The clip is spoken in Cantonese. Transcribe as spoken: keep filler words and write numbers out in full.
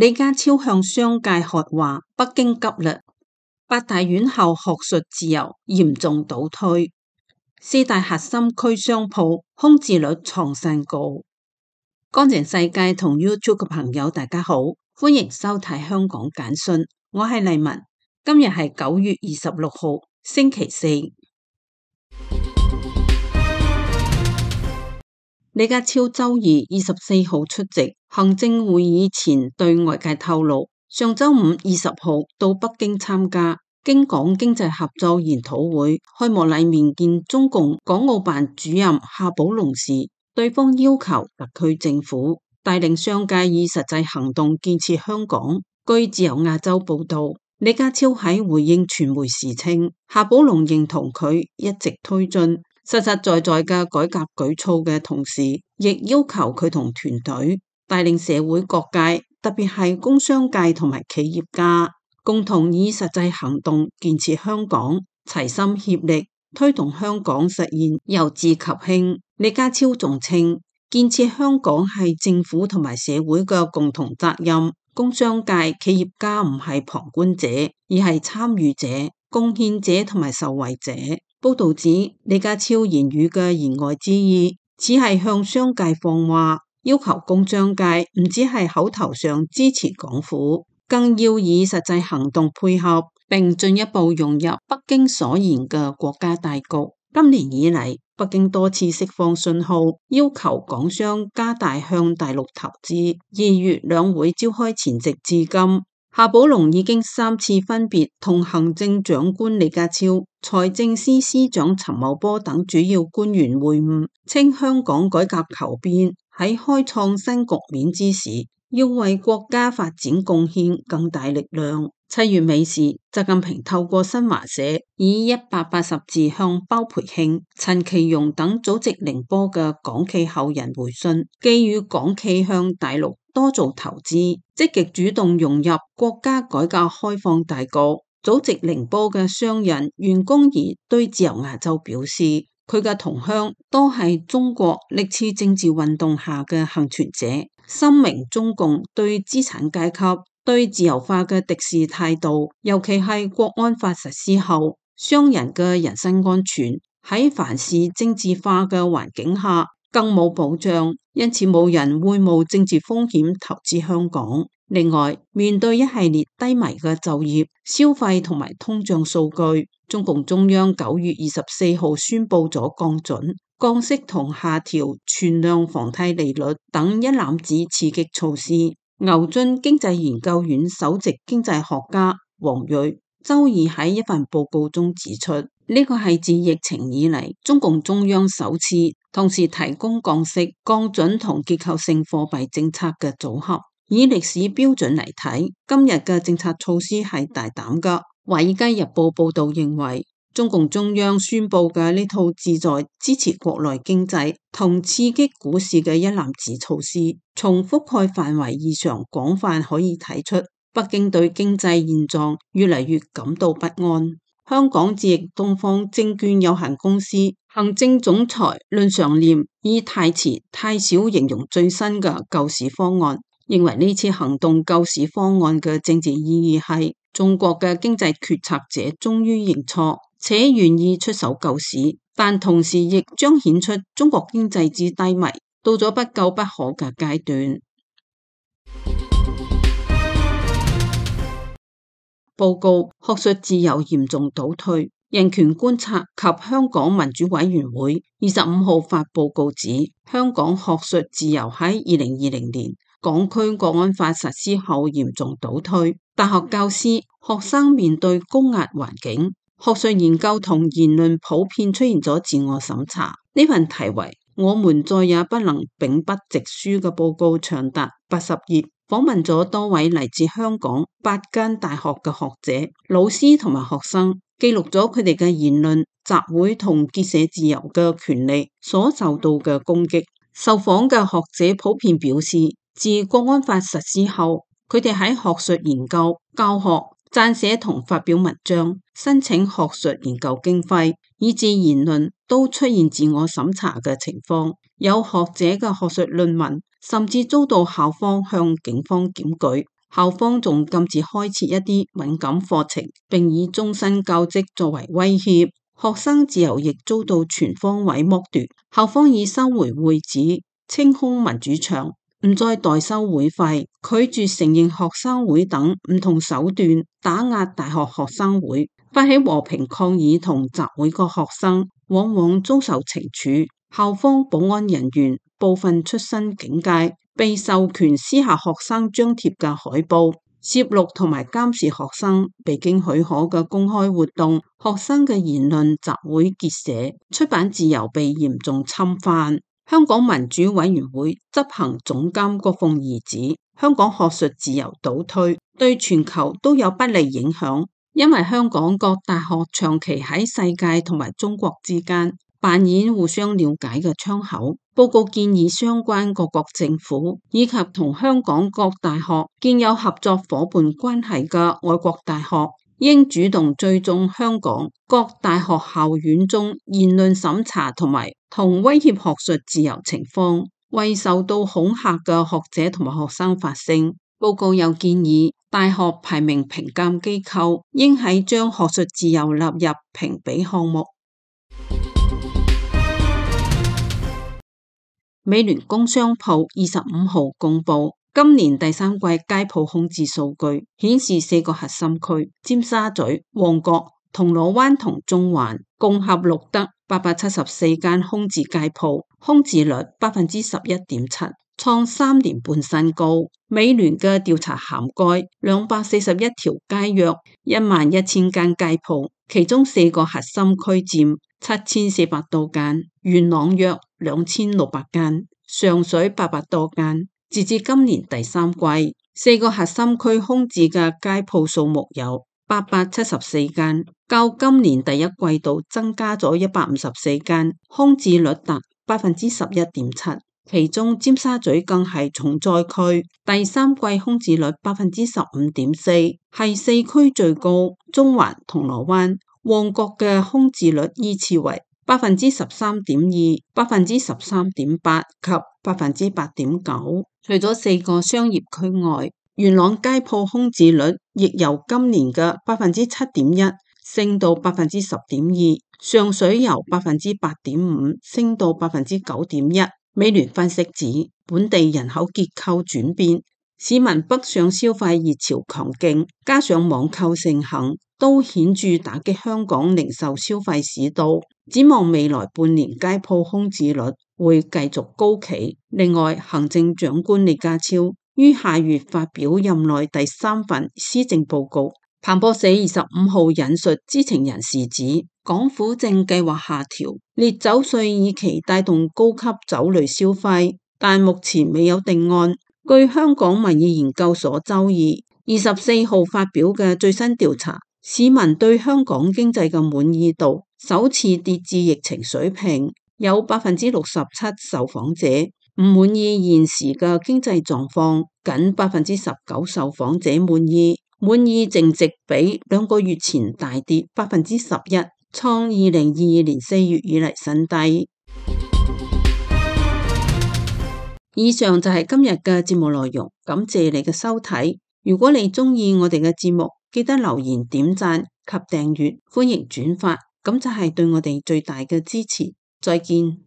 李家超向商界喝話，北京急啦！八大院校學術自由嚴重倒退，四大核心區商鋪空置率創新高。乾淨世界同 YouTube 嘅朋友大家好，歡迎收睇香港簡訊，我係麗文，今日係九月二十六號星期四。李家超周二二十四號出席行政會議前對外界透露，上周五二十號到北京參加京港經濟合作研討會開幕禮面見中共港澳辦主任夏寶龍時，對方要求特區政府帶領商界以實際行動建設香港。據自由亞洲報道，李家超喺回應傳媒時稱，夏寶龍認同佢一直推進實實在在嘅改革舉措嘅同時，亦要求佢同團隊帶領社會各界，特別係工商界同埋企業家，共同以實際行動建設香港，齊心協力推動香港實現由治及興。李家超仲稱，建設香港係政府同埋社會嘅共同責任，工商界企業家唔係旁觀者，而係參與者、貢獻者同埋受惠者。報道指，李家超言語嘅言外之意，只係向商界放話，要求工商界唔只係口頭上支持港府，更要以實際行動配合，並進一步融入北京所言嘅國家大局。今年以嚟，北京多次釋放信號，要求港商加大向大陸投資。二月兩會召開前夕至今，夏寶龍已經三次分別同行政長官李家超、財政司司長陳茂波等主要官員會晤，稱香港改革求變，喺開創新局面之時，要為國家發展貢獻更大力量。七月尾時，習近平透過新華社以一百八十字向包培慶、陳其容等祖籍寧波嘅港企後人回信，寄語港企向大陸多做投資，積極主動融入國家改革開放大局。祖籍寧波嘅商人袁公儀對自由亞洲表示，佢嘅同鄉都係中國歷次政治運動下嘅幸存者，深明中共對資產階級、對自由化嘅敵視態度，尤其係國安法實施後，商人嘅人身安全喺凡事政治化嘅環境下更冇保障，因此冇人會冒政治風險投資香港。另外，面對一系列低迷嘅就業、消費同埋通脹數據，中共中央九月二十四號宣布咗降準、降息同下調存量房貸利率等一攬子刺激措施。牛津經濟研究院首席經濟學家王瑞周二喺一份報告中指出，呢個係自疫情以嚟中共中央首次同時提供降息、降準同結構性貨幣政策嘅組合。以歷史標準嚟睇，今日嘅政策措施係大膽㗎。華爾街日報報道認為，中共中央宣布嘅呢套旨在支持國內經濟同刺激股市嘅一攬子措施，從覆蓋範圍異常廣泛可以睇出，北京對經濟現狀越嚟越感到不安。香港智易東方證券有限公司行政總裁論常念以太遲太少形容最新嘅救市方案，認為呢次行動救市方案嘅政治意義係中國嘅經濟決策者終於認錯，且願意出手救市，但同時亦彰顯出中國經濟之低迷，到咗不救不可嘅階段。報告：學術自由嚴重倒退。人權觀察及香港民主委員會二十五號發報告指，香港學術自由喺二零二零年港區國安法實施後嚴重倒退，大學教師、學生面對高壓環境，學術研究同言論普遍出現咗自我審查。呢份題為《我們再也不能秉筆直書》嘅報告長達八十頁，訪問咗多位嚟自香港八間大學嘅學者、老師同埋學生，記錄咗佢哋嘅言論、集會同結社自由嘅權利所受到嘅攻擊。受訪嘅學者普遍表示，自國安法實施後，佢哋喺學術研究、教學、撰寫同發表文章、申請學術研究經費，以至言論都出現自我審查嘅情況。有學者嘅學術論文甚至遭到校方向警方檢舉。校方仲禁止開設一啲敏感課程，並以終身教職作為威脅，學生自由亦遭到全方位剝奪。校方已收回會址，清空民主牆，唔再代收會費，拒絕承認學生會等唔同手段打壓大學學生會。發起和平抗議同集會嘅學生往往遭受懲處。校方保安人員部分出身警界，被授權撕下學生張貼嘅海報，攝錄同埋監視學生未經許可嘅公開活動，學生嘅言論、集會、結社、出版自由被嚴重侵犯。香港民主委員會執行總監郭鳳儀指，香港學術自由倒退，對全球都有不利影響，因為香港各大學長期喺世界同埋中國之間扮演互相了解嘅窗口。報告建議相關各國政府以及同香港各大學建有合作夥伴關係嘅外國大學，應主動追蹤香港各大學校園中言論審查同埋同威脅學術自由情況，為受到恐嚇嘅學者同埋學生發聲。報告又建議大學排名評鑑機構應喺將學術自由納入評比項目。美聯工商鋪二十五號公布今年第三季街鋪空置數據，顯示四個核心區尖沙咀、旺角、銅鑼灣同中環共合錄得八百七十四間空置街鋪，空置率百分之十一點七，創三年半新高。美聯嘅調查涵蓋兩百四十一條街，約一萬一千間街鋪，其中四個核心區佔七千四百多間，元朗約兩千六百間，上水八百多間。截至今年第三季，四個核心區空置嘅街鋪數目有八百七十四間，較今年第一季度增加咗一百五十四間，空置率達百分之十一點七。其中尖沙咀更係重災區，第三季空置率百分之十五點四，係四區最高。中環、銅鑼灣、旺角嘅空置率依次為百分之十三點二、百分之十三點八及百分之八點九。除咗四個商業區外，元朗街鋪空置率亦由今年嘅百分之七點一升到百分之十點二，上水由百分之八點五升到百分之九點一。美聯分析指，本地人口結構轉變，市民北上消費熱潮強勁，加上網購盛行，都顯著打擊香港零售消費市道。展望未來半年，街鋪空置率會繼續高企。另外，行政長官李家超於下月發表任內第三份施政報告。彭博社二十五號引述知情人士指，港府正計劃下調烈酒稅，以期帶動高級酒類消費，但目前未有定案。據香港民意研究所周二二十四號發表嘅最新調查，市民對香港經濟嘅滿意度首次跌至疫情水平，有百分之六十七受訪者唔滿意現時嘅經濟狀況，僅百分之十九受訪者滿意。滿意淨值比兩個月前大跌百分之十一，創二零二二年四月以嚟新低。以上就係今日嘅節目內容，感謝你嘅收睇。如果你鍾意我哋嘅節目，記得留言、點讚及訂閱，歡迎轉發，咁就係對我哋最大嘅支持。再見。